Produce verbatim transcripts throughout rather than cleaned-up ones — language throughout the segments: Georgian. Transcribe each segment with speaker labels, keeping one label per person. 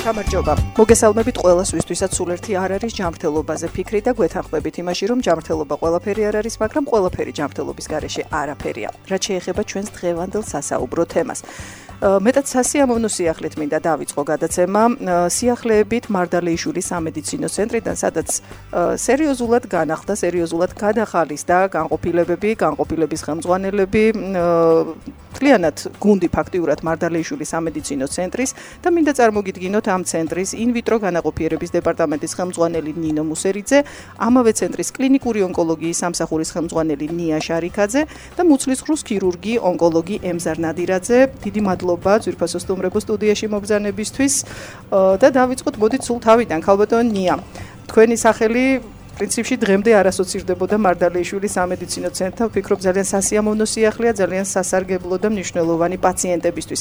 Speaker 1: გამარჯობა. მოგესალმებით ყველას, ვისთვისაც სულ ერთი არ არის ჯანმრთელობაზე ფიქრი და გვეთანხმებით იმაში, რომ ჯანმრთელობა ყველაფერი არ არის, მაგრამ ყველაფერი ჯანმრთელობის გარეშე არაფერია. რაც შეეხება ჩვენს დღევანდელ სასაუბრო თემას. მეტად სასიამოვნო სიახლით მინდა დავიწყო გადაცემა სიახლეებით მარდალეიშვილის სამედიცინო ცენტრიდან, სადაც სერიოზულად განახლდა, სერიოზულად გადახალისდა განყოფილებები, განყოფილების ხელმძღვანელები, მთლიანად გუნდი ფაქტიურად მარდალეიშვილის სამედიცინო ცენტრის და მინდა წარმოგიდგინოთ ამ ცენტრის ინვიტრო განაყოფიერების დეპარტამენტის ხელმძღვანელი ნინო მუსერიძე, ამავე ცენტრის კლინიკური ონკოლოგიის სამსახურის ხელმძღვანელი ნია შარიქაძე და მუცლისღრუს ქირურგი, ონკოლოგი ემზარ ნადირაძე. დიდი მადლობა ძვირფასო სტუმრებო სტუდიაში მობრძანებისთვის და დავიწყოთ მოდით სულ თავიდან. ქალბატონ ნია, თქვენი სახელი პრინციპში დღემდე არ ასოცირდებოდა მარდალეიშვილის სამედიცინო ცენტრთან. ვფიქრობ ძალიან სასიამოვნო სიახლეა, ძალიან სასარგებლო და მნიშვნელოვანი პაციენტებისთვის.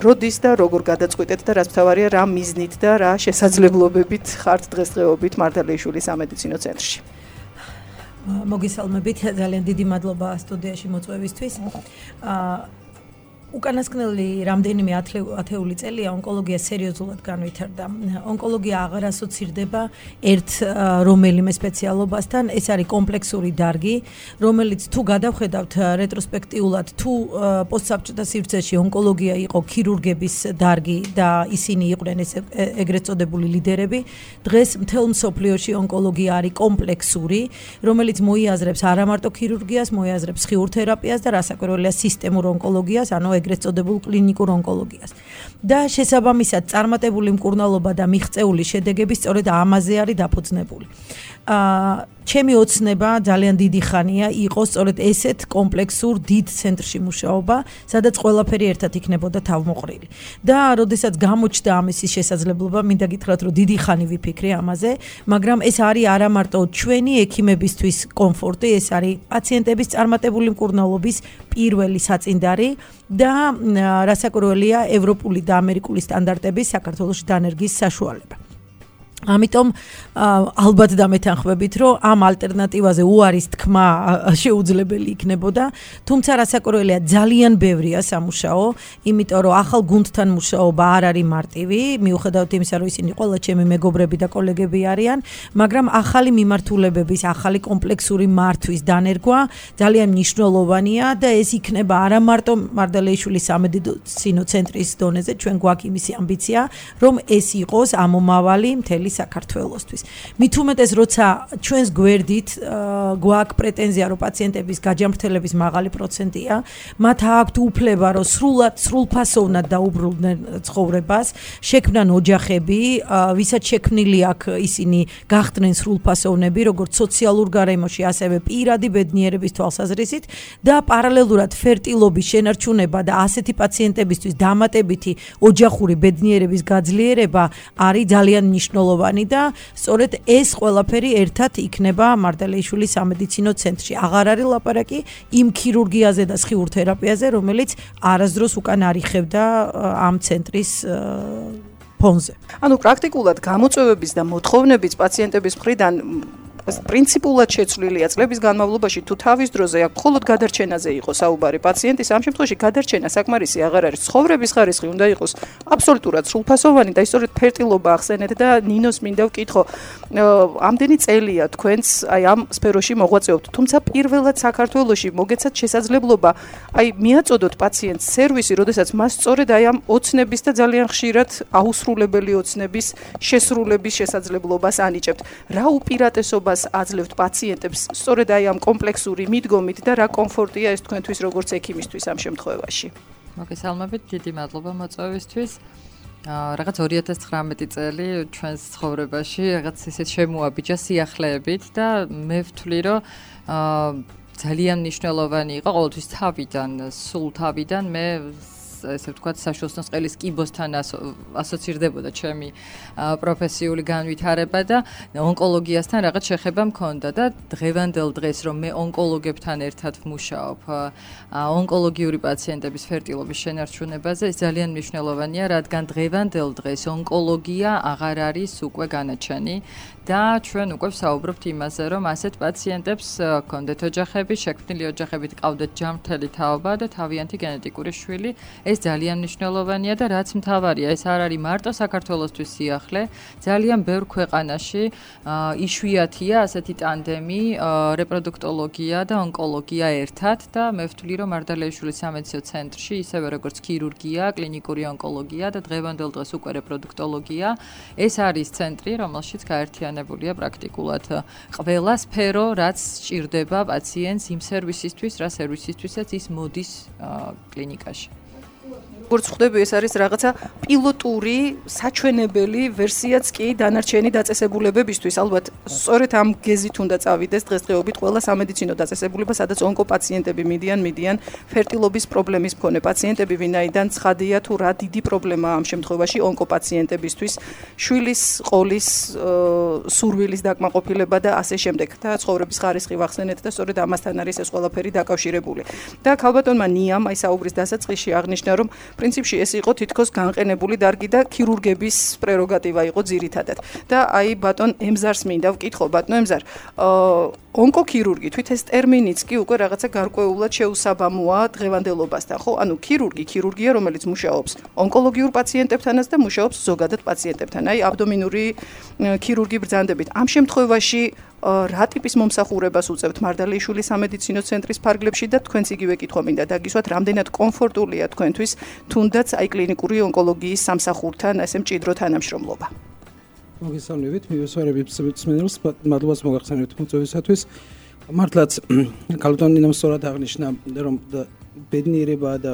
Speaker 1: როდის და როგორ გადაწყვიტეთ და რაც მთავარია, რა მიზნით და რა შესაძლებლობებით ხართ დღესდღეობით მარდალეიშვილის სამედიცინო ცენტრში?
Speaker 2: მოგესალმებით, ძალიან დიდი მადლობა სტუდიაში მოწვევისთვის. უკანასკნელი რამდენიმე ათეული წელია ონკოლოგია სერიოზულად განვითარდა. ონკოლოგია აღარ ასოცირდება ერთ რომელიმე სპეციალობასთან, ეს არის კომპლექსური დარგი, რომელიც თუ გადავხედავთ რეტროსპექტიულად, თუ პოსტსაბჭოთა სივრცეში ონკოლოგია იყო ქირურგების დარგი და ისინი იყვნენ ეს ეგრეთ წოდებული ლიდერები, დღეს მთელ მსოფლიოში ონკოლოგია არის კომპლექსური, რომელიც მოიაზრებს არა მარტო ქირურგიას, მოიაზრებს ხიურთერაპიას და რასაკვირველია სისტემურ ონკოლოგიას, ანუ ეგრეთ წოდებულ კლინიკურ ონკოლოგიას. და შესაბამისად წარმატებული მკურნალობა და მიღწეული შედეგები სწორედ ამაზე არის დაფუძნებული. აა ჩემი ოცნება ძალიან დიდი ხანია იყო სწორედ ესეთ კომპლექსურ დიდ ცენტრში მუშაობა, სადაც ყველაფერი ერთად იქნებოდა თავმოყრილი. და როდესაც გამოჩნდა ამისი შესაძლებლობა, მინდა გითხრათ, რომ დიდი ხანი ვიფიქრე ამაზე, მაგრამ ეს არის არა მარტო ჩვენი ექიმებისთვის კომფორტი, ეს არის პაციენტების წარმატებული მკურნალობის პირველი საწინდარი და რასაკვირველია ევროპული და ამერიკული სტანდარტების საქართველოში დანერგის საშუალება. ამიტომ ალბათ დამეთანხმებით, რომ ამ ალტერნატივაზე უარის თქმა შეუძლებელი იქნებოდა, თუმცა რასაკვირველია ძალიან ბევრია სამუშაო, იმიტომ რომ ახალ გუნდთან მუშაობა არ არის მარტივი, მიუხედავად იმისა, რომ ისინი ყველა ჩემი მეგობრები და კოლეგები არიან, მაგრამ ახალი მიმართულებების, ახალი კომპლექსური მართვის დანერგვა ძალიან მნიშვნელოვანია და ეს იქნება არა მარტო მარდალეიშვილის სამედიცინო ცენტრის დონეზე, ჩვენ გვაქვს იმისი ამბიცია, რომ ეს იყოს ამომავალი მთელი საქართველოსთვის. მით უმეტეს, როცა ჩვენს გვერდით გვაქვს პრეტენზია, რომ პაციენტების გაჯანმრთელების მაღალი პროცენტია, მათ აქვთ უფლება, რომ სრულად სრულფასოვნად დაუბრუნდნენ ცხოვრებას, შექმნან ოჯახები, ვისაც შექმნილი აქვს ისინი გახდნენ სრულფასოვნები, როგორც სოციალურ გარემოში, ასევე პირადი ბედნიერების თვალსაზრისით და პარალელურად ფერტილობის შენარჩუნება და ასეთი პაციენტებისთვის დამატებითი ოჯახური ბედნიერების გაძლიერება არის ძალიან მნიშვნელოვანი. და სწორედ ეს ყველაფერი ერთად იქნება მარდალეიშვილის სამედიცინო ცენტრში. აღარ არის ლაპარაკი იმ ქირურგიაზე და ხიურთერაპიაზე, რომელიც არასდროს უკან არ იხევდა ამ ცენტრის ფონზე.
Speaker 1: ანუ პრაქტიკულად გამოწვევების და მოთხოვნების პაციენტების მხრიდან პრინციპულად შეცვლილია წლების განმავლობაში, თუ თავის დროზე აქ მხოლოდ გადარჩენაზე იყო საუბარი პაციენტის, ამ შემთხვევაში გადარჩენა საკმარისი აღარ არის. ცხოვრების ხარისხი უნდა იყოს აბსოლუტურად სრულფასოვანი და ისწორედ ფერტილობა ახსენეთ და ნინოს მინდა ვკითხო, ამდენი წელია თქვენს აი ამ სფეროში მოღვაწეობთ, თუმცა პირველად საქართველოში მოგეცათ შესაძლებლობა აი მიაწოდოთ პაციენტს სერვისი, როდესაც მას სწორედ აი ამ ოცნების და ძალიან ხშირად აუსრულებელი ოცნების შესრულების შესაძლებლობას ანიჭებთ. რა უპირატესობა აძლევთ პაციენტებს სწორედ აი ამ კომპლექსური მიდგომით და რა კომფორტია ეს თქვენთვის როგორც ექიმისთვის ამ შემთხვევაში?
Speaker 3: მოგესალმებით, დიდი მადლობა მოწვევისთვის. რაღაც ორი ათას ცხრამეტი წელი ჩვენს ცხოვრებაში რაღაც ისეთ შემოაბიჯა სიახლეებით და მე ვთვლი, რომ ძალიან მნიშვნელოვანი იყო ყოველთვის თავიდან, სულ თავიდან მე ესე ვთქვათ, საშუალო სყელის კიბოსთან ასოცირდებოდა ჩემი პროფესიული განვითარება და ონკოლოგიასთან რაღაც შეხება მქონდა და დღევანდელ დღეს რომ მე ონკოლოგებთან ერთად ვმუშაობ ონკოლოგიური პაციენტების ფერტილობის შენარჩუნებაზე, ეს ძალიან მნიშვნელოვანია, რადგან დღევანდელ დღეს ონკოლოგია აღარ არის უკვე განაჩენი და ჩვენ უკვე ვსაუბრობთ იმაზე, რომ ასეთ პაციენტებს ჰქონდეთ ოჯახები, შექმნილი ოჯახებით ყავდეთ ჯანმრთელი თაობა და თავიანთი გენეტიკური შვილი. ეს ძალიან მნიშვნელოვანია და რაც მთავარია, ეს არ არის მარტო საქართველოსთვის სიახლე, ძალიან ბევრ ქვეყანაში იშვიათია ასეთი ტანდემი, რეპროდუქტოლოგია და ონკოლოგია ერთად და მე ვთვლი, რომ მარდალეიშვილის სამედიცინო ცენტრში, ისევე როგორც ქირურგია, კლინიკური ონკოლოგია და დღევანდელ დღეს უკვე რეპროდუქტოლოგია, ეს არის ცენტრი, რომელშიც გაერთიანებულია პრაქტიკულად ყველა სფერო, რაც სჭირდება პაციენტს იმ სერვისისთვის, რა სერვისისთვისაც ის მოდის კლინიკაში.
Speaker 1: როგორც ხვდები, ეს არის რაღაცა პილოტური, საჩვენებელი ვერსიაც კი დანარჩენი დაწესებულებებისთვის. ალბათ, სწორედ ამ გეზით უნდა წავიდეს დღესდღეობით ყველა სამედიცინო დაწესებულება, სადაც ონკოპაციენტები მიდიან, მიდიან ფერტილობის პრობლემის მქონე პაციენტები, ვინაიდან ცხადია თუ რა დიდი პრობლემაა ამ შემთხვევაში ონკოპაციენტებისთვის, შვილის ყოლის, სურვილის დაკმაყოფილება და ასე შემდეგ და ცხოვრების ხარისხი ვახსენეთ და სწორედ ამასთან არის ეს ყველაფერი დაკავშირებული. და ქალბატონმა ნიამ აი საუბრის დასაწყისში აღნიშნა, რომ პრინციპში ეს იყო თითქოს განყენებული დარგი და ქირურგების პრეროგატივა იყო ძირითადად. და აი ბატონ ემზარს მინდა ვკითხო, ბატონ ემზარ, ონკოქირურგი თვით ეს ტერმინიც კი უკვე რაღაცა გარკვეულად შეუსაბამოა დღევანდელობასთან, ხო? ანუ ქირურგი, ქირურგია, რომელიც მუშაობს ონკოლოგიურ პაციენტებთანაც და მუშაობს ზოგადად პაციენტებთან. აი აბდომინური ქირურგი ბრძანდებით. ამ შემთხვევაში რა ტიპის მომსახურებას უწევთ მარდალეიშვილის სამედიცინო ცენტრის ფარგლებში და თქვენც იგივე კითხვა მინდა დაგისვათ, რამდენად კომფორტულია თქვენთვის თუნდაც აი კლინიკური ონკოლოგიის სამსახურთან ესე მჭიდრო თანამშრომლობა.
Speaker 4: მოგესალმებით, მივესალმებით მსმენელს, მადლობას მოგახსენებთ მოწვევისათვის. მართლაც ქალბატონი ნამ სწორად აღნიშნა, რომ ბედნიერება და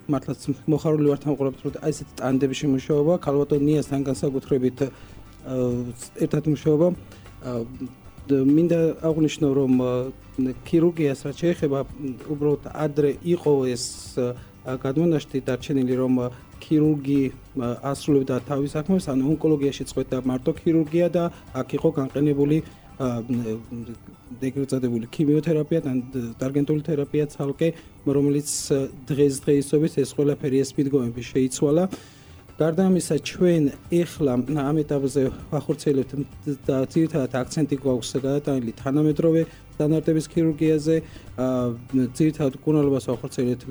Speaker 4: მართლაც მოხარული ვართ ამ ყველაფერს, რომ აი ესეთი ტანდემში მუშაობა, ქალბატონიასთან განსაკუთრებით ერთად მუშაობა. მინდა აღვნიშნო, რომ ქირურგიას რაც შეეხება, უბრალოდ ადრე იყო ეს გადმონაშთი დარჩენილი, რომ ქირურგი ასრულებდა თავის საქმეს, ანუ ონკოლოგიაში წყვეტდა მარტო ქირურგია და აქ იყო განყენებული ეგრეთ წოდებული ქიმიოთერაპია და ტარგენტული თერაპია ცალკე, რომელიც დღესდღეობით ეს ყველაფერი ეს მიდგომები შეიცვალა. გარდა ამისა, ჩვენ ეხლა ამ ეტაპზე ვახორციელებთ და ძირითადად აქცენტი გვაქვს გადატანილი თანამედროვე სტანდარტების ქირურგიაზე, ძირითადად მკურნალობას ვახორციელებთ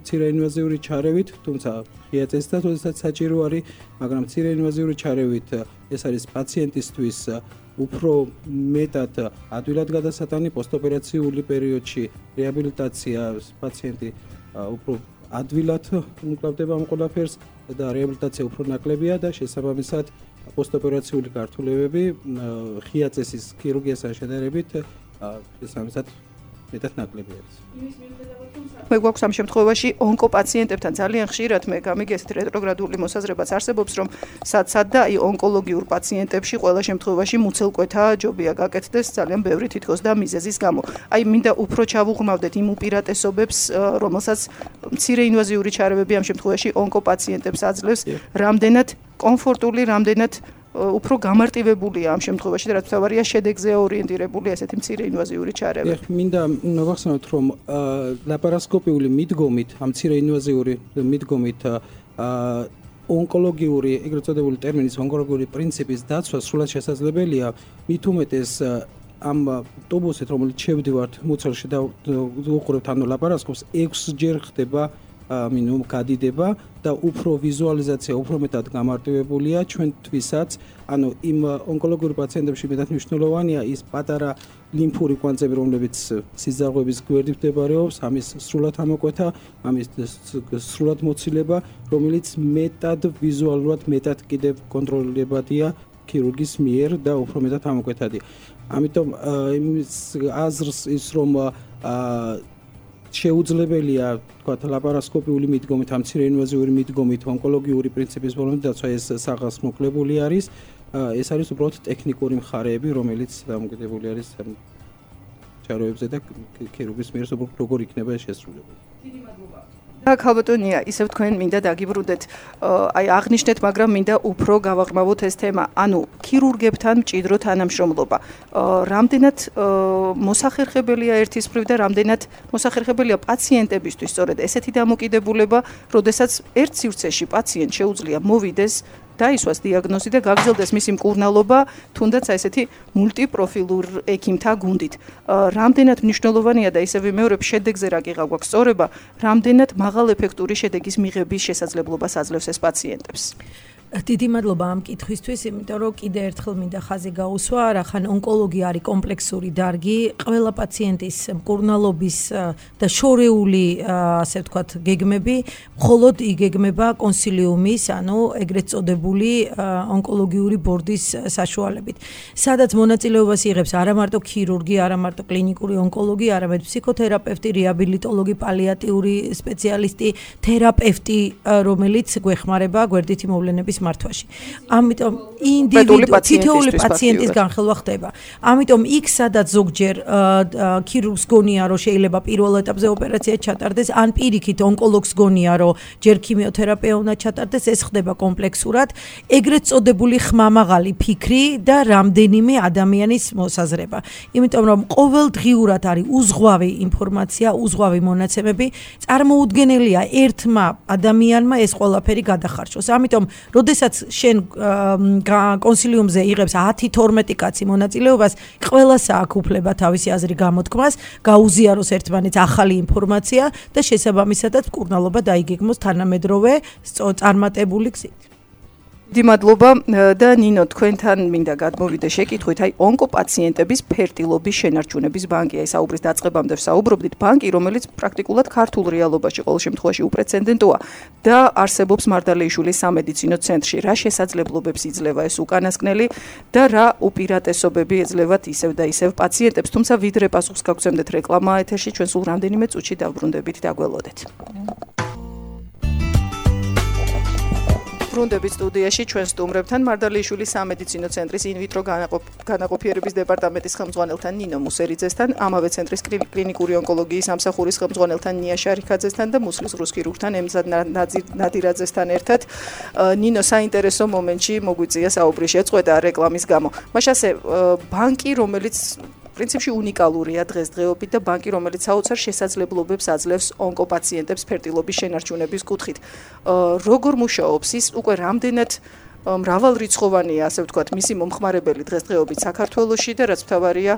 Speaker 4: მცირე ინვაზიური ჩარევით, თუმცა ღია წესითაც როდესაც საჭირო არის, მაგრამ მცირე ინვაზიური ჩარევით ეს არის პაციენტისთვის უფრო მეტად ადვილად გადასატანი პოსტოპერაციული პერიოდში რეაბილიტაცია პაციენტი უფრო ადვილად უმკლავდება ამ ყველაფერს და რეაბილიტაცია უფრო ნაკლებია და შესაბამისად პოსტოპერაციული გართულებები ღია წესის ქირურგიასთან შედარებით შესაბამისად მეტად ნაკლები არის.
Speaker 1: მე გვაქვს ამ შემთხვევაში ონკოპაციენტებთან ძალიან ხშირად მე გამიგე ესეთ რეტროგრადული მოსაზრებაც არსებობს, რომ სად-სად და აი ონკოლოგიურ პაციენტებში ყველა შემთხვევაში მუცელკვეთა ჯობია გაკეთდეს ძალიან ბევრი თითქოს და მიზეზის გამო. აი მინდა უფრო ჩავუღრმავდეთ იმ უპირატესობებს, რომელსაც მცირე ინვაზიური ჩარევები ამ შემთხვევაში ონკოპაციენტებს აძლევს, რამდენად კომფორტული, რამდენად უფრო გამარტივებულია ამ შემთხვევაში და რაც თავარია შედეგზე ორიენტირებული ესეთი მცირე ინვაზიური ჩარევი.
Speaker 4: მინდა მოვახსენოთ, რომ ლაპარასკოპიული მიდგომით, ამ მცირე ინვაზიური მიდგომით ონკოლოგიური, ეგრეთ წოდებული ტერმინის ონკოლოგიური პრინციპის დაცვა სრულად შესაძლებელია, მით უმეტეს ამ ტუბუსით, რომელიც შევდივართ მუცელში და უყურებთ ანუ ლაპარასკოპს, ექვსჯერ ხდება მინიმუმ გადიდება და უფრო ვიზუალიზაცია უფრო მეტად გამარტივებულია ჩვენთვისაც, ანუ იმ ონკოლოგიური პაციენტებში მეტად მნიშვნელოვანია ის პატარა ლიმფური კვანძები, რომლებიც სიზარღვების გვერდით მდებარეობს, ამის სრულად ამოკვეთა, ამის სრულად მოცილება, რომელიც მეტად ვიზუალურად მეტად კიდევ კონტროლებადია ქირურგის მიერ და უფრო მეტად ამოკვეთადი. ამიტომ იმის აზრს ის რომ შეუძლებელია თქვა ლაპარასკოპიული მიდგომით, ამ მცირე ინვაზიური მიდგომით, ონკოლოგიური პრინციპის ბოლომდე დაცვა ეს საღას მოკლებული არის. ეს არის უბრალოდ ტექნიკური მხარეები, რომელიც დამოკიდებული არის ჩარევებზე და ქირურგის მიერ როგორ იქნება ეს შესრულებული. დიდი მადლობა.
Speaker 1: და ქალბატონია, ისევ თქვენ მინდა დაგიბრუნდეთ, აი აღნიშნეთ, მაგრამ მინდა უფრო გავაღრმავოთ ეს თემა, ანუ ქირურგებთან მჭიდრო თანამშრომლობა. რამდენად მოსახერხებელია ერთის მხრივ და რამდენად მოსახერხებელია პაციენტებისთვის სწორედ ესეთი დამოკიდებულება, როდესაც ერთ სივრცეში პაციენტ შეუძლია მოვიდეს დაისვას დიაგნოზი და გაგრძელდეს მისი მკურნალობა, თუნდაც აი ესეთი მულტიპროფილურ ექიმთა გუნდით. რამდენად მნიშვნელოვანია და ისევ ვიმეორებ, შედეგზე რა გიღა გვაქვს სწორება, რამდენად მაღალეფექტური შედეგის მიღების შესაძლებლობას აძლევს ეს პაციენტებს.
Speaker 2: დიდი მადლობა ამ კითხვისთვის, იმიტომ რომ კიდე ერთხელ მინდა ხაზი გაუსვა, რახან ონკოლოგია არის კომპლექსური დარგი, ყველა პაციენტის მკურნალობის და შორეული, ასე ვთქვათ, გეგმები მხოლოდ იგეგმება კონსილიუმის, ანუ ეგრეთ წოდებული ონკოლოგიური ბორდის საშუალებით. სადაც მონაწილეობას იღებს არა მარტო ქირურგი, არა მარტო კლინიკური ონკოლოგი, არამედ ფსიქოთერაპევტი, რეაბილიტოლოგი, პალიატიური სპეციალისტი, თერაპევტი, რომელიც გვეხმარება გვერდითი მოვლენების მართვაში. ამიტომ ინდივიდუალური თითოეული პაციენტის განხელვა ხდება. ამიტომ იქ სადაც ზოგჯერ ქირურგს გონია რომ შეიძლება პირველ ეტაპზე ოპერაცია ჩატარდეს, ან პირიქით ონკოლოგს გონია რომ ჯერ ქიმიოთერაპია უნდა ჩატარდეს, ეს ხდება კომპლექსურად, ეგრეთ წოდებული ხმამაღალი ფიქრი და რამდენიმე ადამიანის მოსაზრება. იმიტომ რომ ყოველდღიურად არის უზღვავი ინფორმაცია, უზღვავი მონაცემები, წარმოუდგენელია ერთმა ადამიანმა ეს ყველაფერი გადახარჯოს. ამიტომ როდესაც შენ კონსილიუმზე იღებს ათი თორმეტი კაცი მონაწილეობას, ყველას აქვს უფლება თავისი აზრი გამოთქმას, გაუზიაროს ერთმანეთს ახალი ინფორმაცია და შესაბამისადაც მკურნალობა დაიგეგმოს თანამედროვე წარმატებული გზით.
Speaker 1: დიდი მადლობა და ნინო, თქვენთან მინდა გადმოვიდე შეკითხვით, აი ონკოპაციენტების ფერტილობის შენარჩუნების ბანკი, აი საუბრის დაწყებამდე ვსაუბრობდით, ბანკი, რომელიც პრაქტიკულად ქართულ რეალობაში ყოველ შემთხვევაში უპრეცედენტოა და არსებობს მარდალეიშვილის სამედიცინო ცენტრში. რა შესაძლებლობებს იძლევა ეს უკანასკნელი და რა უპირატესობები ეძლევათ ისევ და ისევ პაციენტებს, თუმცა ვიდრე პასუხს გაგცემდეთ რეკლამა ეთერში, ჩვენ სულ რამდენიმე წუთში დავბრუნდებით და გველოდეთ. ბრუნდებით სტუდიაში ჩვენ სტუმრებთან მარდალეიშვილის სამედიცინო ცენტრის ინვიტრო განაყოფიერების დეპარტამენტის ხელმძღვანელთან ნინო მუსერიძესთან, ამავე ცენტრის კლინიკური ონკოლოგიის სამსახურის ხელმძღვანელთან ნია შარიქაძესთან და მუსლის რუს ქირურგთან ემზად ნადირაძესთან ერთად. ნინო, საინტერესო მომენტში მოგვიწია საუბრის შეწყვეტა რეკლამის გამო. მაშასე ბანკი, რომელიც პრინციპში უნიკალურია დღესდღეობით და ბანკი, რომელიც საოცარ შესაძლებლობებს აძლევს ონკოპაციენტებს ფერტილობის შენარჩუნების კუთხით. როგორ მუშაობს ის, უკვე რამდენად მრავალრიცხოვანია, ასე ვთქვათ, მისი მომხმარებელი დღესდღეობით საქართველოში და რაც მთავარია,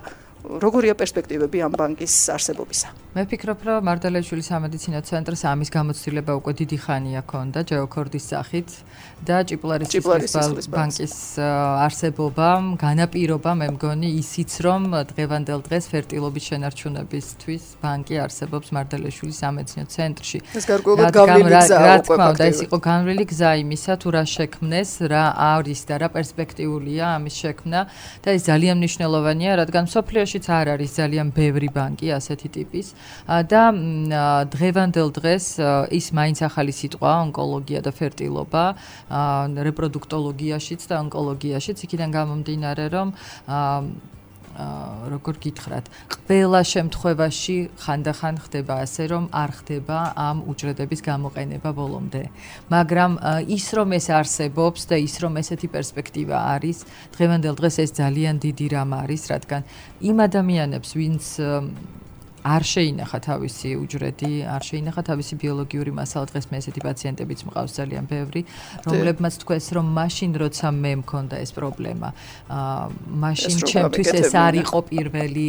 Speaker 1: როგორია პერსპექტივები ამ ბანკის არსებობისა?
Speaker 3: მე ვფიქრობ, რომ მარდალეიშვილის სამედიცინო ცენტრს ამის გამოცდილება უკვე დიდი ხანია ქონდა ჯეოქორდის სახით და ჭიპლარის ბანკის არსებობამ განაპირობა, მე მგონი, ისიც რომ დღევანდელ დღეს ფერტილობის შენარჩუნებისთვის ბანკი არსებობს მარდალეიშვილის სამედიცინო ცენტრში.
Speaker 1: ეს გარკვეულად გავლილი გზაა
Speaker 3: უკვე ფაქტია. ეს იყო განვლილი გზა იმისა, თუ რა შექმნეს, რა არის და რა პერსპექტიულია ამის შექმნა და ეს ძალიან მნიშვნელოვანია, რადგან სოფლიოში არ არის ძალიან ბევრი ბანკი ასეთი ტიპის და დღევანდელ დღეს ის მაინც ახალი სიტყვა ონკოლოგია და ფერტილობა რეპროდუქტოლოგიაშიც და ონკოლოგიაშიც, იქიდან გამომდინარე რომ როგორ გითხრათ, ყველა შემთხვევაში ხანდახან ხდება ასე, რომ არ ხდება ამ უჯრედების გამოყენება ბოლომდე. მაგრამ ის რომ ეს არსებობს და ის რომ ესეთი პერსპექტივა არის, დღევანდელ დღეს ეს ძალიან დიდი რამ არის, რადგან იმ ადამიანებს, ვინც არ შეინახა თავისი უჯრედი, არ შეინახა თავისი ბიოლოგიური მასალა, დღეს მე ესეთი პაციენტებიც მყავს ძალიან ბევრი, რომლებმაც თქვეს, რომ მაშინ როცა მე მქონდა ეს პრობლემა, მაშინ ჩემთვის ეს არ იყო პირველი,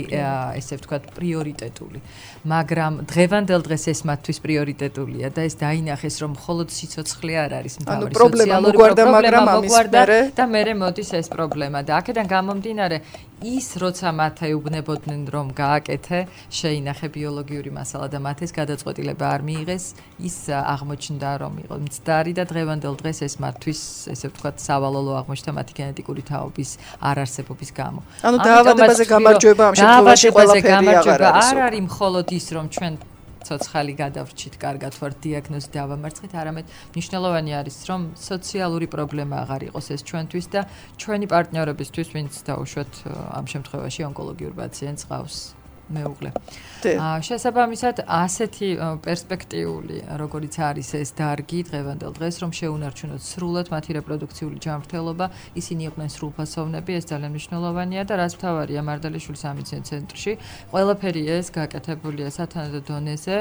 Speaker 3: ესე ვთქვათ, პრიორიტეტული. მაგრამ დღევანდელ დღეს ეს მათთვის პრიორიტეტულია და ეს დაინახეს, რომ მხოლოდ სიცოცხლე არ არის მთავარი სოციალური პრობლემა, მოგვარდა და მერე მოდის ეს პრობლემა და აქედან გამომდინარე ის როცა მათ ეუბნებოდნენ რომ გააკეთე, შეინახე ბიოლოგიური მასალა და მათ ეს გადაწყვეტილება არ მიიღეს, ის აღმოჩნდა რომ იყო მცდარი და დღევანდელ დღეს ეს მათთვის, ესე ვთქვათ, სავალალო აღმოჩნდა მათი გენეტიკური თაობის არარსებობის გამო.
Speaker 1: ანუ დაავადებაზე გამარჯვება ამ შემთხვევაში ყველაფერი აღარ არის.
Speaker 3: არ არის მხოლოდ ის რომ ჩვენ ცოცხალი გადავრჩით, კარგად ვარ დიაგნოზი დავამარცხეთ, არამედ მნიშვნელოვანი არის რომ სოციალური პრობლემა აღარ იყოს ეს ჩვენთვის და ჩვენი პარტნიორებისთვის, ვინც დაუშვათ ამ შემთხვევაში ონკოლოგიურ პაციენტს ყავს. მეუღლე. აა შესაბამისად ასეთი პერსპექტიული, როგორიც არის ეს დარგი დღევანდელ დღეს, რომ შეუნარჩუნოთ სრულად მათი რეპროდუქციული ჯანმრთელობა, ისინი იყვნენ სრულფასოვნები, ეს ძალიან მნიშვნელოვანია და რაც მთავარია მართალიშვილის სამედიცინო ცენტრში, ყველაფერი ეს გაკეთებულია სათანადო დონეზე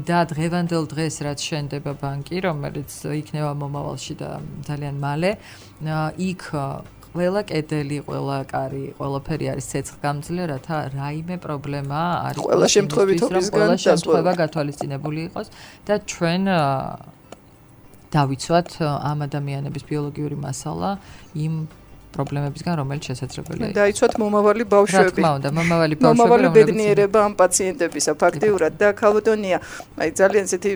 Speaker 3: და დღევანდელ დღეს რაც შენდება ბანკი, რომელიც იქნება მომავალში და ძალიან მალე, იქ ყველა კედელი, ყველა კარი, ყველაფერი არის ცეცხლგამძლე, რათა რაიმე პრობლემა არის
Speaker 1: ყველა შემთხვევითობისგან
Speaker 3: შემთხვევა გათვალისწინებული იყოს და ჩვენ დავიცვათ ამ ადამიანების ბიოლოგიური მასალა იმ პრობლემებისგან, რომელიც შესაძლებელია.
Speaker 1: დაიცვათ მომავალი ბავშვები.
Speaker 3: რა თქმა უნდა, მომავალი ბავშვები,
Speaker 1: მომავალი ბედნიერება ამ პაციენტებისა ფაქტიურად და ქალბატონია, აი ძალიან ესეთი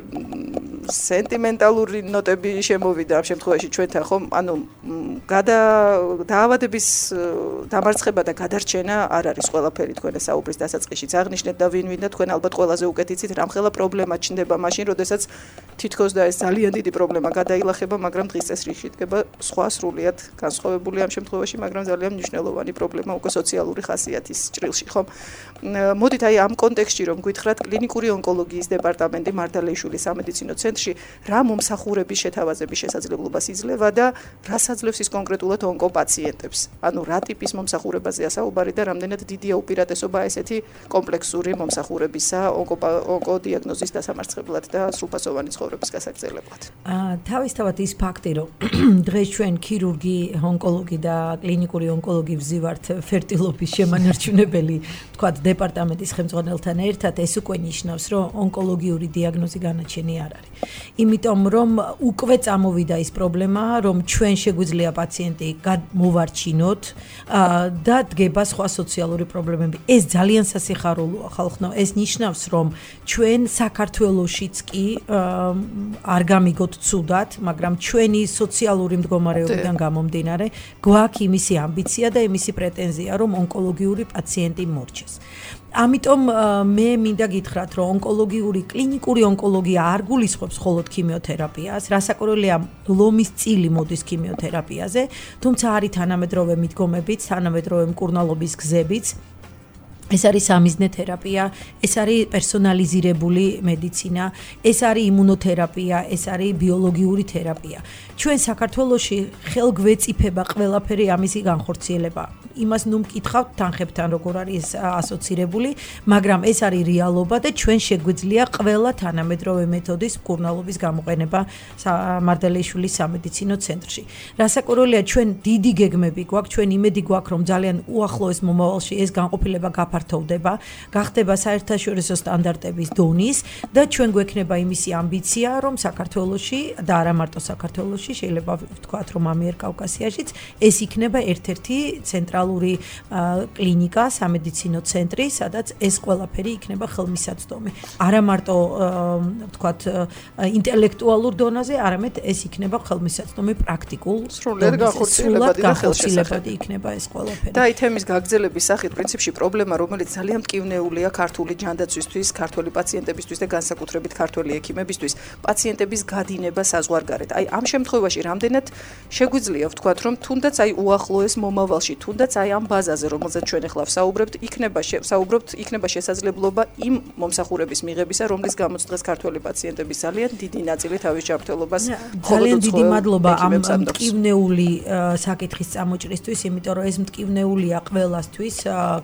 Speaker 1: სენტიმენტალური ნოტები შემოვიდა ამ შემთხვევაში ჩვენთან, ხომ? ანუ გადა დაავადების დამარცხება და გადარჩენა არ არის ყველაფერი თქვენ საუბრის დასაწყისშიც აღნიშნეთ და ვინ ვინდა თქვენ ალბათ ყველაზე უკეთ იცით რამხელა პრობლემა ჩნდება მაშინ, როდესაც თითქოს და ეს ძალიან დიდი პრობლემა გადაილახება, მაგრამ დღის წესრიგში დგება სხვა სრულიად განსხვავებული ამ შემთხვევაში, მაგრამ ძალიან მნიშვნელოვანი პრობლემა უკვე სოციალური ხასიათის ჭრილში, ხომ? მოდით აი ამ კონტექსტში რომ გითხრათ კლინიკური ონკოლოგიის დეპარტამენტი მართალიშვილის სამედიცინო ცენტრში რა მომსახურების შეთავაზების შესაძლებლობას იძლევა და რას აძლევს ის კონკრეტულად ონკოპაციენტებს. ანუ რა ტიპის მომსახურებაზეა საუბარი და რამდენად დიდია უპირატესობა ესეთი კომპლექსური მომსახურებისა ონკოდიაგნოზის დასამარცხებლად და სრულფასოვანი ცხოვრების გასაგრძელებლად.
Speaker 2: აა თავისთავად ის ფაქტი, რომ დღეს ჩვენ ქირურგი, ონკოლოგი და კლინიკური ონკოლოგი ვზივართ ფერტილობის შემანარჩუნებელი, თქვათ, დეპარტამენტის ხელმძღვანელთან ერთად, ეს უკვე ნიშნავს, რომ ონკოლოგიური დიაგნოზი განაჩენი არ არის. იმიტომ რომ უკვე წამოვიდა ის პრობლემა, რომ ჩვენ შეგვიძლია პაციენტი მოვარჩინოთ და დგება სხვა სოციალური პრობლემები. ეს ძალიან სასიხარულოა ხალხო. ეს ნიშნავს, რომ ჩვენ საქართველოშიც კი არ გამიგოთ ცუდად, მაგრამ ჩვენი სოციალური მდგომარეობიდან გამომდინარე, გვაქვს იმისი ამბიცია და იმისი პრეტენზია, რომ ონკოლოგიური პაციენტი მორჩეს. ამიტომ მე მინდა გითხრათ, რომ ონკოლოგიური კლინიკური ონკოლოგია არ გულისხმობს მხოლოდ ქიმიოთერაპიას, რასაკვირველია ლომის წილი მოდის ქიმიოთერაპიაზე, თუმცა არის თანამედროვე მიდგომებიც, თანამედროვე მკურნალობის გზებიც. ეს არის სამიზნე თერაპია, ეს არის პერსონალიზირებული მედიცინა, ეს არის იმუნოთერაპია, ეს არის ბიოლოგიური თერაპია. ჩვენ საქართველოში ხელგვეწიფება ყველაფერი ამისი განხორციელება. იმას ნუ მკითხავთ თანხებთან როგორ არის ასოცირებული, მაგრამ ეს არის რეალობა და ჩვენ შეგვიძლია ყველა თანამედროვე მეთოდის მკურნალობის გამოყენება მართალიშვილის სამედიცინო ცენტრში. რასაკვირველია ჩვენ დიდი გეგმები გვაქვს, ჩვენ იმედი გვაქვს რომ ძალიან უახლოეს მომავალში ეს განყოფილება გაფართოვდება, გახდება საერთაშორისო სტანდარტების დონის და ჩვენ გვექნება იმისი ამბიცია რომ საქართველოში და არა მარტო საქართველოში, შეიძლება ვთქვათ რომ ამიერკავკასიაშიც ეს იქნება ერთ-ერთი ცენტრალური კლინიკა, სამედიცინო ცენტრი, სადაც ეს ყველაფერი იქნება ხელმისაწვდომი. არა მარტო ვთქვათ ინტელექტუალურ დონეზე, არამედ ეს იქნება ხელმისაწვდომი პრაქტიკულ
Speaker 1: სრულად
Speaker 2: განხორციელებადი იქნება ეს ყველაფერი.
Speaker 1: და აი თემის გაგრძელების სახით პრინციპში პრობლემა, რომელიც ძალიან მტკივნეულია ქართული ჯანდაცვისთვის, ქართველი პაციენტებისთვის და განსაკუთრებით ქართველი ექიმებისთვის, პაციენტების გადინება საზღვარგარეთ. აი ამ შემთხვევაში რამდენად შეგვიძლია ვთქვათ, რომ თუნდაც აი უახლოეს მომავალში, თუნდაც აი ამ ბაზაზე, რომელზეც ჩვენ ახლა ვსაუბრებთ, იქნება საუბრობთ, იქნება შესაძლებლობა იმ მომსახურების მიღებისა, რომლის გამოც დღეს ქართველი პაციენტების ძალიან დიდი ნაწილი თავის ჯანმრთელობას
Speaker 2: ძალიან დიდი მადლობა ამ მტკივნეული საკითხის წამოჭრისთვის, იმიტომ რომ ეს მტკივნეულია ყველასთვის,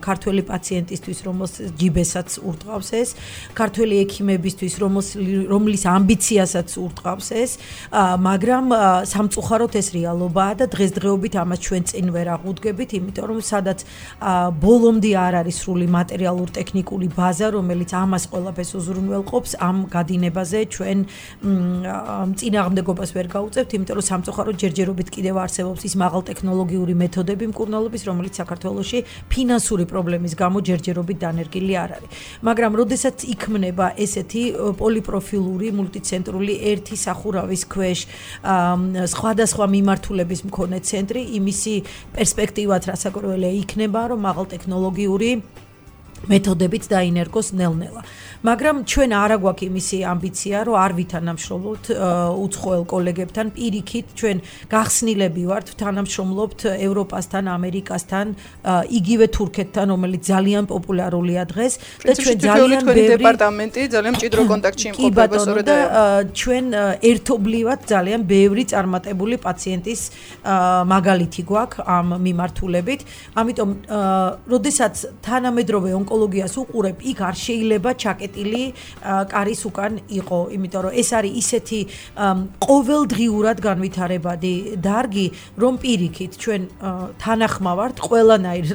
Speaker 2: ქართველი პაციენტისთვის, რომელსაც ჯიბესაც ურტყავს ეს, ქართველი ექიმებისთვის, რომლის ამბიციასაც ურტყავს ეს, მაგრამ სამწუხაროდ ეს რეალობაა და დღესდღეობით ამას ჩვენ წინ ვერ აღუდგებით, იმიტომ რომ სადაც ბოლომდე არ არის სრული მატერიალურ-ტექნიკური ბაზა, რომელიც ამას ყველაფერს უზრუნველყოფს, ამ გადინებაზე ჩვენ წინააღმდეგობას ვერ გაუწევთ, იმიტომ რომ სამწუხაროდ ჯერჯერობით კიდევ არსებობს ის მაღალტექნოლოგიური მეთოდები მკურნალობის, რომელიც საქართველოში ფინანსური პრობლემის გამო ჯერჯერობით დანერგილი არ არის. მაგრამ როდესაც იქმნება ესეთი პოლიპროფილური მულტიცენტრული ერთი სახურავის ქვეშ სხვადასხვა მიმართულების მქონე ცენტრი, იმისი პერსპექტივად რასაკვირველია იქნება, რომ მაღალტექნოლოგიური მეთოდებით დაინერგოს ნელ-ნელა. მაგრამ ჩვენ არ აგვაქვს იმისი ამბიცია, რომ არ ვითანამშრომლობთ უცხოელ კოლეგებთან, პირიქით ჩვენ გახსნილები ვართ, თანამშრომლობთ ევროპასთან, ამერიკასთან, იგივე თურქეთთან, რომელიც ძალიან პოპულარულია დღეს და ჩვენ ძალიან
Speaker 1: ბევრი დეპარტამენტი ძალიან მჭიდრო კონტაქტში იმყოფება სწორედ
Speaker 2: და ჩვენ ერთობლივად ძალიან ბევრი წარმატებული პაციენტის მაგალითი გვაქვს ამ მიმართულებით. ამიტომ როდესაც თანამედროვე ონკოლოგიას უყურებ, იქ არ შეიძლება ჩაკეტილი კარის უკან იყო, იმიტომ რომ ეს არის ისეთი ყოველდღიურად განვითარებადი დარგი, რომ პირიქით ჩვენ თანახმავართ ყველანაირ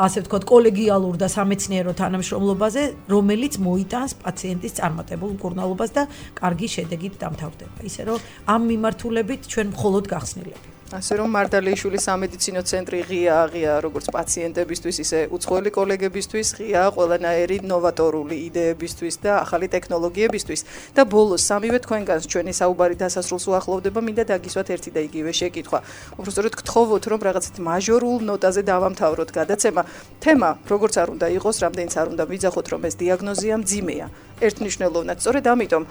Speaker 2: ასე ვთქვათ კოლეგიალურ და სამეცნიერო თანამშრომლობაზე, რომელიც მოიტანს პაციენტის წარმატებულ მკურნალობას და კარგი შედეგით დამთავრდება. ისე რომ ამ მიმართულებით ჩვენ მხოლოდ გახსნილები.
Speaker 1: ასე რომ მარდალეიშვილის სამედიცინო ცენტრი ღია ღია როგორც პაციენტებისთვის, ისე უცხოელი კოლეგებისთვის, ღია ყველანაირი ნოვატორული იდეებისთვის და ახალი ტექნოლოგიებისთვის. და ბოლოს სამივე თქვენგანს ჩვენი საუბარი დასასრულს უახლოვდება, მინდა დაგისვათ ერთი და იგივე შეკითხვა. უბრალოდ გთხოვოთ, რომ რაღაცით მაჟორულ ნოტაზე დავამთავროთ გადაცემა. თემა, როგორც არ უნდა იყოს, რამდენიც არ უნდა ვიძახოთ, რომ ეს დიაგნოზია მძიმეა. ერთნიშნულოვნად. სწორედ ამიტომ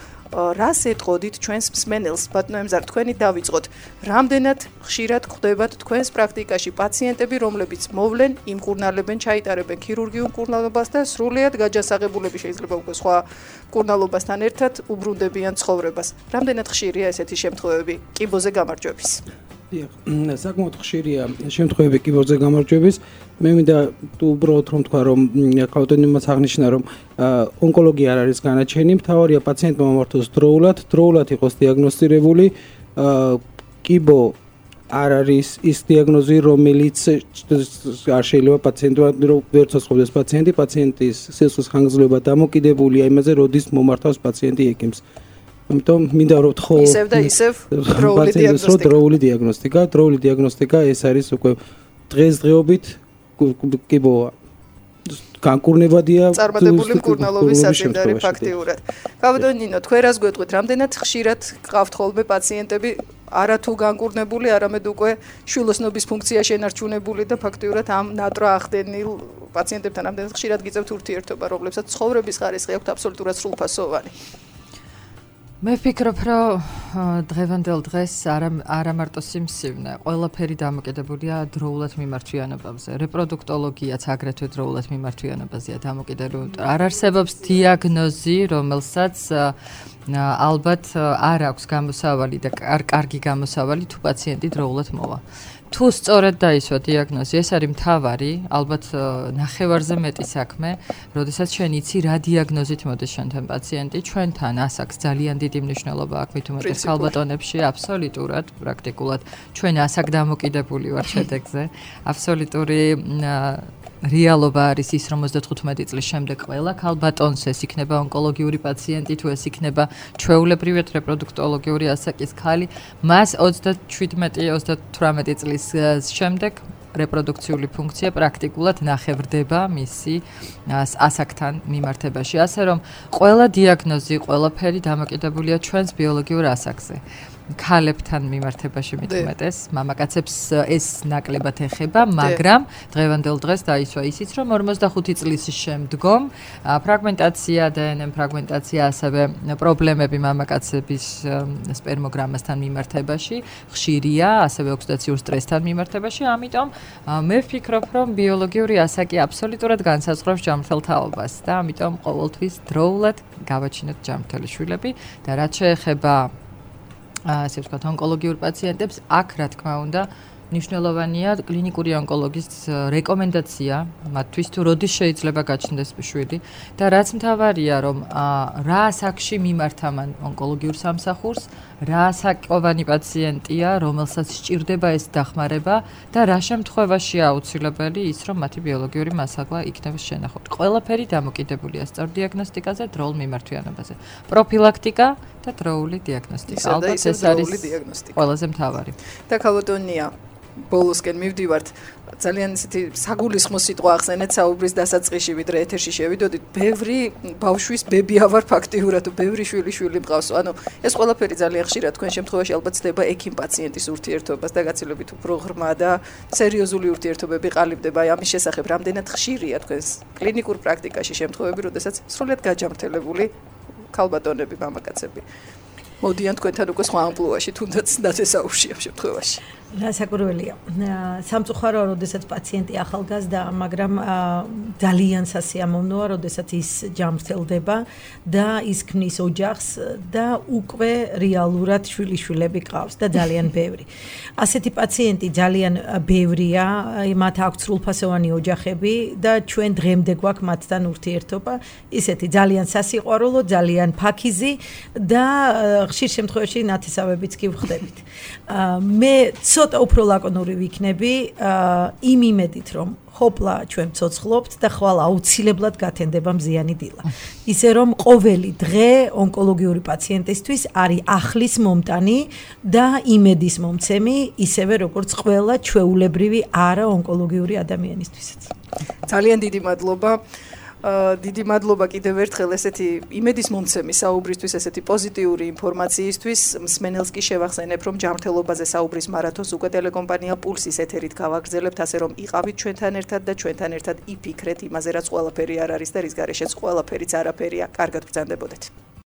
Speaker 1: რას ეტყოდით ჩვენს მსმენელს, ბატონო ემზარ, თქვენი დავიწყოთ. რამდენად ხშირად ხვდებათ თქვენს პრაქტიკაში პაციენტები, რომლებიც მოვლენ, იმკურნალებენ, ჩაიტარებენ ქირურგიულ მკურნალობას და სრულიად გაჯანსაღებულები შეიძლება უკვე სხვა მკურნალობასთან ერთად უბრუნდებიან ცხოვრებას. რამდენად ხშირია ესეთი შემთხვევები კიბოზე გამარჯვების?
Speaker 4: დიახ, საკმაოდ ხშირია შემთხვევები კიბოზე გამარჯვების. მე მინდა უბრალოდ რომ თქვა, რომ კავტონიმაც აღნიშნა, რომ ონკოლოგია არ არის განაჩენი, მთავარია პაციენტმა მომართოს დროულად, დროულად იყოს დიაგნოსტირებული. კიბო არ არის ის დიაგნოზი, რომელიც არ შეიძლება პაციენტმა ვერ ცოცხლობდეს პაციენტი, პაციენტის სისხლის ხანგრძლივობა დამოკიდებულია იმაზე, როდის მომართავს პაციენტი ექიმს. ამიტომ მინდა რომ ვთხოვო
Speaker 1: ისევ და ისევ დროული დიაგნოსტიკა.
Speaker 4: დროული დიაგნოსტიკა, დროული დიაგნოსტიკა ეს არის უკვე დღესდღეობით კიბოა. განკურნებადია
Speaker 1: წარმატებული მკურნალობის საწინდარი ფაქტიურად. კაბადონ ნინო, თქვენ რას გვეტყვით, რამდენად ხშირად გყავთ ხოლმე პაციენტები არათუ განკურნებული, არამედ უკვე შვილოსნობის ფუნქცია შენარჩუნებული და ფაქტიურად ამ ნატრა ახდენილ პაციენტებთან რამდენად ხშირად გიწევთ ურთიერთობა, რომლებსაც ცხოვრების ხარისხი აქვთ აბსოლუტურად სრულფასოვანი?
Speaker 3: მე ვფიქრობ, რომ დღევანდელ დღეს არა არა მარტო სიმსივნე, ყველაფერი დამოკიდებულია დროულად მიმართვიანობაზე. რეპროდუქტოლოგიაც აგრეთვე დროულად მიმართვიანობაზეა დამოკიდებული. არ არსებობს დიაგნოზი, რომელსაც ალბათ არ აქვს გამოსავალი და კარგი გამოსავალი თუ პაციენტი დროულად მოვა. თუ სწორად დაისვა დიაგნოზი, ეს არის მთავარი, ალბათ ნახევარზე მეტი საქმე, როდესაც ჩვენ იცი რა დიაგნოზით მოდის შენთან პაციენტი, ჩვენთან ასაკს ძალიან დიდი მნიშვნელობა აქვს მით უმეტეს ქალბატონებში, აბსოლუტურად, პრაქტიკულად ჩვენ ასაკ დამოკიდებული ვართ შედეგზე. აბსოლუტური რეალობა არის ის, რომ ოცდათხუთმეტი წლის შემდეგ ყველა ქალბატონს ეს იქნება ონკოლოგიური პაციენტი, თუ ეს იქნება ჩვეულებრივი რეპროდუქტოლოგიური ასაკის ქალი, მას ოცდაშვიდმეტი ოცდათვრამეტი წლის შემდეგ რეპროდუქციული ფუნქცია პრაქტიკულად ნახევრდება მისი ასაკთან მიმართებაში. ასე რომ ყველა დიაგნოზი, ყველაფერი დამოკიდებულია ჩვენს ბიოლოგიურ ასაკზე. ქალებთან მიმართებაში მithumetes, მამაკაცებს ეს ნაკლებად ეხება, მაგრამ დღევანდელ დღეს დაისვა ისიც, რომ ორმოცდახუთი წლის შემდგომ ფრაგმენტაცია, დე ენ ემ ფრაგმენტაცია, ასევე პრობლემები მამაკაცების სპერმოგრამასთან მიმართებაში ხშირია, ასევე ოქსიდაციურ სტრესთან მიმართებაში, ამიტომ მე ვფიქრობ, რომ ბიოლოგიური ასაკი აბსოლუტურად განსაზღვრავს ჯანმრთელ თაობას და ამიტომ ყოველთვის დროულად გავაჩინოთ ჯანმრთელი შვილები და რაც შეეხება ასე ვთქვათ, ონკოლოგიურ პაციენტებს, აქ რა თქმა უნდა, მნიშვნელოვანია კლინიკური ონკოლოგის რეკომენდაცია, მათთვის თუ როდის შეიძლება გაჩნდეს შვილი და რაც მთავარია, რომ რა ასაკში მიმართა მან ონკოლოგიურ სამსახურს, რა ასაკოვანი პაციენტია, რომელსაც სჭირდება ეს დახმარება და რა შემთხვევაში აუცილებელი ის, რომ მათი ბიოლოგიური მასალა იქნება შენახული. ყველაფერი დამოკიდებულია სწორ დიაგნოსტიკაზე, დროულ მიმართვიანობაზე. პროფილაქტიკა და დროული დიაგნოსტიკა.
Speaker 1: ალბათ ეს არის
Speaker 3: ყველაზე მთავარი.
Speaker 1: და ქალბატონია ბოლოსკენ მივდივართ ძალიან ისეთი საგულისხმო სიტყვა ახსენეთ საუბრის დასაწყისში ვიდრე ეთერში შევიდოდით ბევრი ბავშვის ბებია ვარ ფაქტიურად ბევრი შვილი შვილი მყავს ანუ ეს ყველაფერი ძალიან ხშირად თქვენ შემთხვევაში ალბათ ცდება ექიმ პაციენტის ურთიერთობას და გაცილებით უფრო ღრმა და სერიოზული ურთიერთობები ყალიბდება აი ამის შესახებ რამდენად ხშირია თქვენს კლინიკურ პრაქტიკაში შემთხვევები როდესაც სრულიად გაჯამრთელებული ქალბატონები მამაკაცები მოდიან თქვენთან უკვე სხვა ამპლუაში თუნდაც დაწესაურში ამ შემთხვევაში
Speaker 2: რასაკურველია სამწუხაროა როდესაც პაციენტი ახალგაზრდა მაგრამ ძალიან სასიამოვნოა როდესაც ის ჯამრთელდება და ის ქმნის ოჯახს და უკვე რეალურად შვილიშვილები ყავს და ძალიან ბევრი ასეთი პაციენტი ძალიან ბევრია მათ აქვს სრულფასოვანი ოჯახები და ჩვენ დღემდე გვაქვს მათთან ურთიერთობა ისეთი ძალიან სასიყვარულო ძალიან ფაქიზი და ხშირ შემთხვევაში ნათესავებიც კი ვხდებით მე ცოტა უფრო ლაკონური ვიქნები იმ იმედით რომ ხოპლა ჩვენ ცოცხლობთ და ხვალ აუცილებლად გათენდება მზიანი დილა ისე რომ ყოველი დღე ონკოლოგიური პაციენტისთვის არის ახლის მომტანი და იმედის მომცემი ისევე როგორც ყველა ჩვეულებრივი არა ონკოლოგიური ადამიანისთვისაც
Speaker 1: ძალიან დიდი მადლობა დიდი მადლობა კიდევ ერთხელ ესეთი იმედის მომცემი საუბრისთვის, ესეთი პოზიტიური ინფორმაციისთვის. მსმენელს კი შევახსენებ, რომ ჯანმრთელობაზე საუბრის მარათონს უკვე ტელეკომპანია პულსის ეთერით გავაგრძელებთ, ასე რომ იყავით ჩვენთან ერთად და ჩვენთან ერთად იფიქრეთ იმაზე, რაც ყველაფერი არ არის და რის გარეშეც ყველაფერიც არაფერია. კარგად ბრძანდებოდეთ.